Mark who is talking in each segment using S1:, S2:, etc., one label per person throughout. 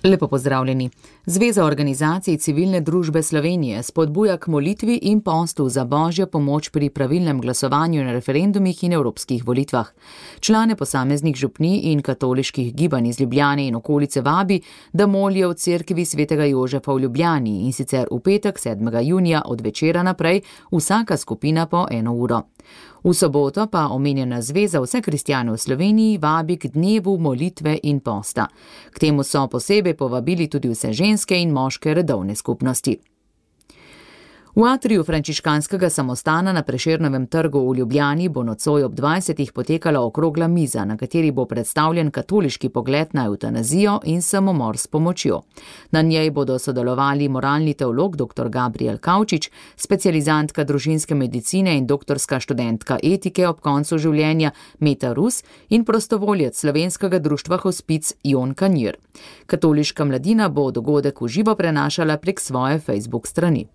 S1: Lepo pozdravljeni. Zveza organizacij civilne družbe Slovenije spodbuja k molitvi in postu za božjo pomoč pri pravilnem glasovanju na referendumih in evropskih volitvah. Člane posameznih župnij in katoliških gibanj iz Ljubljane in okolice vabi, da molijo v cerkvi svetega Jožefa v Ljubljani, in sicer v petek 7. junija od večera naprej, vsaka skupina po 1 uro. V soboto pa omenjena zveza vse kristjane v Sloveniji vabi k dnevu molitve in posta. K temu so posebej povabili tudi vse ženske in moške redovne skupnosti. V atriju frančiškanskega samostana na Prešernovem trgu v Ljubljani bo nocoj ob 20. potekala okrogla miza, na kateri bo predstavljen katoliški pogled na evtanazijo in samomor s pomočjo. Na njej bodo sodelovali moralni teolog dr. Gabriel Kavčič, specializantka družinske medicine in doktorska študentka etike ob koncu življenja Meta Rus in prostovoljec Slovenskega društva Hospic Jon Kanjir. Katoliška mladina bo dogodek v živo prenašala prek svoje Facebook strani.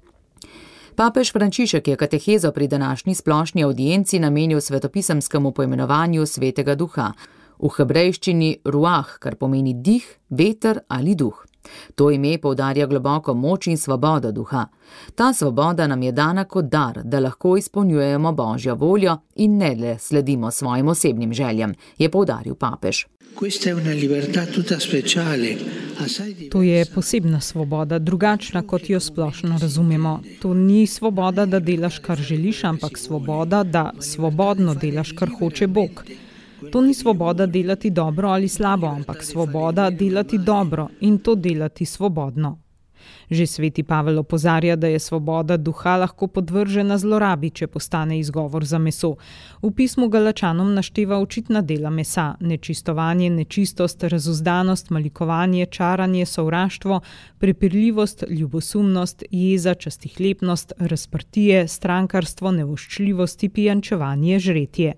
S1: Papež Frančišek je katehezo pri današnji splošni avdienci namenil svetopisemskemu poimenovanju Svetega Duha, v hebrejščini ruah, kar pomeni dih, veter ali duh. To ime poudarja globoko moč in svobodo duha. Ta svoboda nam je dana kot dar, da lahko izpolnjujemo božjo voljo in ne le sledimo svojim osebnim željam, je poudaril papež.
S2: To je posebna svoboda, drugačna, kot jo splošno razumemo. To ni svoboda, da delaš, kar želiš, ampak svoboda, da svobodno delaš, kar hoče Bog. To ni svoboda delati dobro ali slabo, ampak svoboda delati dobro in to delati svobodno. Že sveti Pavel opozarja, da je svoboda duha lahko podvržena zlorabi, če postane izgovor za meso. V pismu Galačanom našteva očitna dela mesa: nečistovanje, nečistost, razuzdanost, malikovanje, čaranje, sovraštvo, prepirljivost, ljubosumnost, jeza, častihlepnost, razprtije, strankarstvo, nevoščljivosti, pijančevanje, žretje.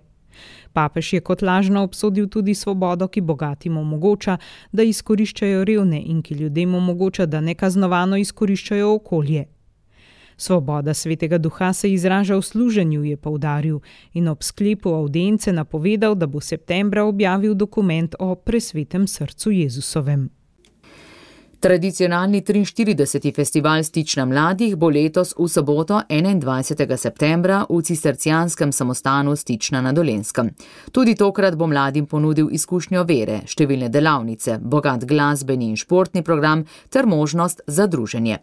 S2: Papež je kot lažno obsodil tudi svobodo, ki bogatim omogoča, da izkoriščajo revne, in ki ljudem omogoča, da nekaznovano izkoriščajo okolje. Svoboda Svetega Duha se izraža v služenju, je poudaril, in ob sklepu avdience napovedal, da bo septembra objavil dokument o presvetem srcu Jezusovem.
S1: Tradicionalni 43. festival Stična mladih bo letos v soboto 21. septembra v cistercijanskem samostanu Stična na Dolenjskem. Tudi tokrat bo mladim ponudil izkušnjo vere, številne delavnice, bogat glasbeni in športni program ter možnost za druženje.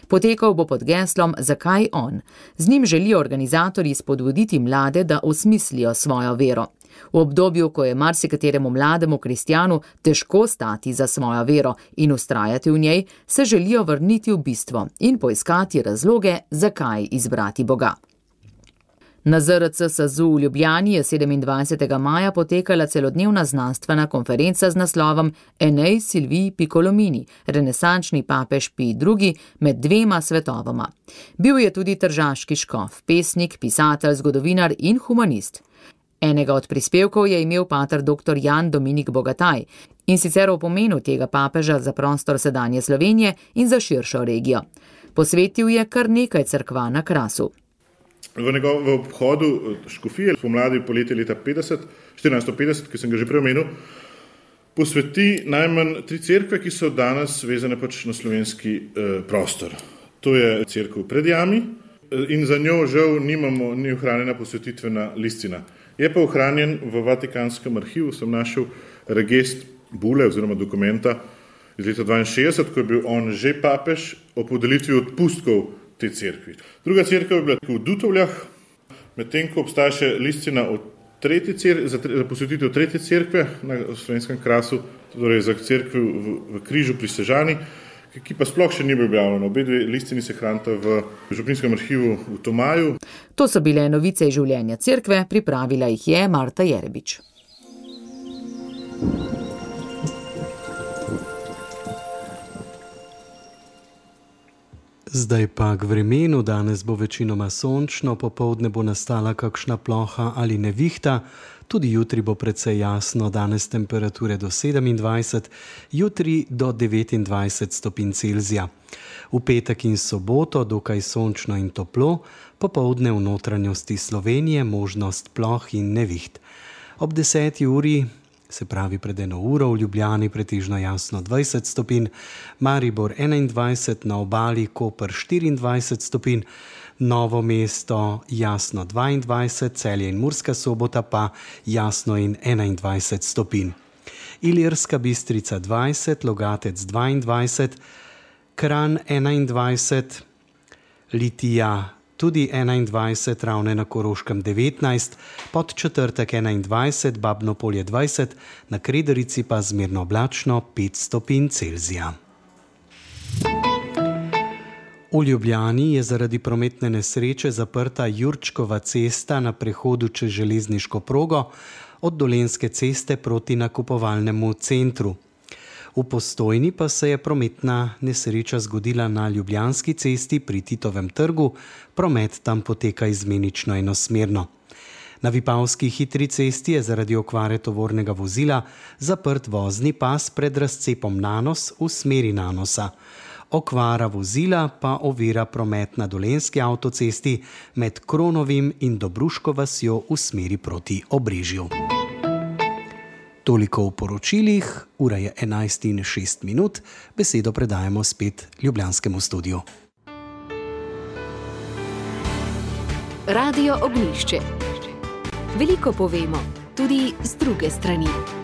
S1: Potekal bo pod geslom Zakaj on? Z njim želijo organizatorji spodbuditi mlade, da osmislijo svojo vero. V obdobju, ko je marsikateremu mlademu kristjanu težko stati za svojo vero in vztrajati v njej, se želijo vrniti v bistvo in poiskati razloge, zakaj izbrati Boga. Na ZRC SAZU v Ljubljani je 27. maja potekala celodnevna znanstvena konferenca z naslovom Enei Silvii Piccolomini, renesančni papež Pij II. Med dvema svetovoma. Bil je tudi tržaški škof, pesnik, pisatelj, zgodovinar in humanist. Enega od prispevkov je imel pater dr. Jan Dominik Bogataj, in sicer o pomenu tega papeža za prostor sedanje Slovenije in za širšo regijo. Posvetil je kar nekaj cerkva na Krasu.
S3: V obhodu škofije pomladi poleti leta 1450, ki sem ga že prej omenil, posveti najmanj 3 cerkve, ki so danes vezane na slovenski prostor. To je cerkev pred jami in za njo žal ni ohranjena posvetitvena listina. Je pa ohranjen v Vatikanskem arhivu, sem našel regest bule oziroma dokumenta iz leta 62, ko je bil on že papež, o podelitvi odpustkov te cerkvi. Druga cerkev je bila v Dutovljah, medtem ko obstaja še listina za posvetitev 3. cerkve na slovenskem Krasu, torej za cerkvi v Križu pri Sežani, ki pa sploh še ni bil objavljena. Obe dve listini se hranita v župninskem arhivu v Tomaju.
S1: To so bile novice iz življenja cerkve, pripravila jih je Marta Jerebič.
S4: Zdaj pa k vremenu. Danes bo večinoma sončno, popoldne bo nastala kakšna ploha ali nevihta. Tudi jutri bo precej jasno, danes temperature do 27, jutri do 29 stopinj Celzija. V petek in soboto dokaj sončno in toplo, popoldne v notranjosti Slovenije možnost ploh in neviht. Ob 10. uri se pravi pred 1 uro, v Ljubljani pretežno jasno 20 stopinj, Maribor 21, na obali Koper 24 stopinj, Novo mesto jasno 22, Celje in Murska Sobota pa jasno in 21 stopinj. Ilirska Bistrica 20, Logatec 22, Kranj 21, Litija tudi 21, Ravne na Koroškem 19, Podčetrtek 21, Babno Polje 20, na Krederici pa zmerno oblačno 5 stopinj Celzija. V Ljubljani je zaradi prometne nesreče zaprta Jurčkova cesta na prehodu čez železniško progo od Dolenjske ceste proti nakupovalnemu centru. V Postojni pa se je prometna nesreča zgodila na Ljubljanski cesti pri Titovem trgu, promet tam poteka izmenično enosmerno. Na Vipavski hitri cesti je zaradi okvare tovornega vozila zaprt vozni pas pred razcepom Nanos v smeri Nanosa. Okvara vozila pa ovira promet na Dolenjski avtocesti med Kronovim in Dobruško vasjo v smeri proti Obrežju. Toliko v poročilih, ura je 11:06, besedo predajamo spet ljubljanskemu studiu.
S5: Radio Ognjišče. Veliko povemo, tudi z druge strani.